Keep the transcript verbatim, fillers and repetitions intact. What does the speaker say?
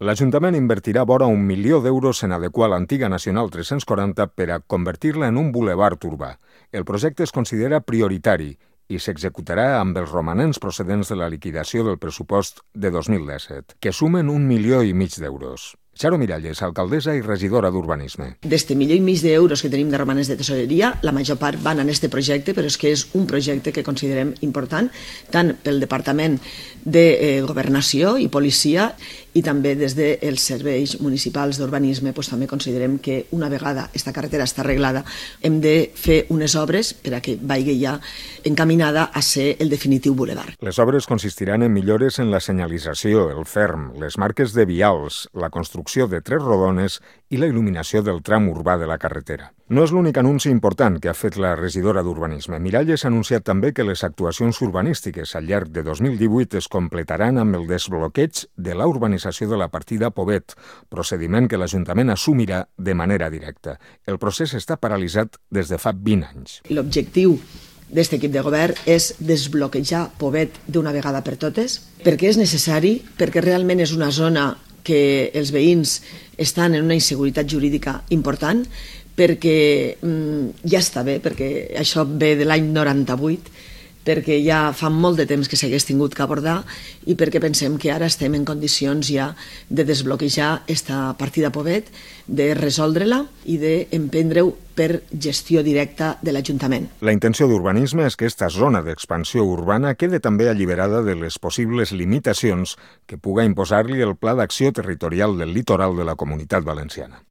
L'Ajuntament invertirà vora un milió d'euros en adequar l'antiga Nacional tres-cents quaranta per a convertir-la en un bulevard urbà. El projecte es considera prioritari i s'executarà amb els romanents procedents de la liquidació del pressupost de dos mil disset, que sumen un milió i mig d'euros. Charo Miralles, alcaldessa i regidora d'Urbanisme. D'este milió i mig d'euros que tenim de romanents de tesoreria, la major part van en este projecte, però és que és un projecte que considerem important, tant pel Departament de eh, Governació i Policia i també des dels serveis municipals d'urbanisme, doncs també considerem que una vegada aquesta carretera està arreglada hem de fer unes obres per a que vagi ja encaminada a ser el definitiu bulevard. Les obres consistiran en millores en la senyalització, el ferm, les marques de vials, la construcció de tres rodones i la il·luminació del tram urbà de la carretera. No és l'únic anunci important que ha fet la regidora d'Urbanisme. Miralles ha anunciat també que les actuacions urbanístiques al llarg de dos mil divuit es completaran amb el desbloqueig de la urbanització de la partida Pobet, procediment que l'Ajuntament assumirà de manera directa. El procés està paralitzat des de fa vint anys. L'objectiu d'aquest equip de govern és desbloquejar Pobet d'una vegada per totes, perquè és necessari, perquè realment és una zona que els veïns estan en una inseguretat jurídica important, perquè mm, ja està bé, perquè això ve de l'any noranta-vuit, perquè ja fa molt de temps que s'hagués tingut que abordar i perquè pensem que ara estem en condicions ja de desbloquejar aquesta partida Pobet, de resoldre-la i d'emprendre-ho per gestió directa de l'Ajuntament. La intenció d'Urbanisme és que aquesta zona d'expansió urbana quede també alliberada de les possibles limitacions que puga imposar-li el Pla d'Acció Territorial del Litoral de la Comunitat Valenciana.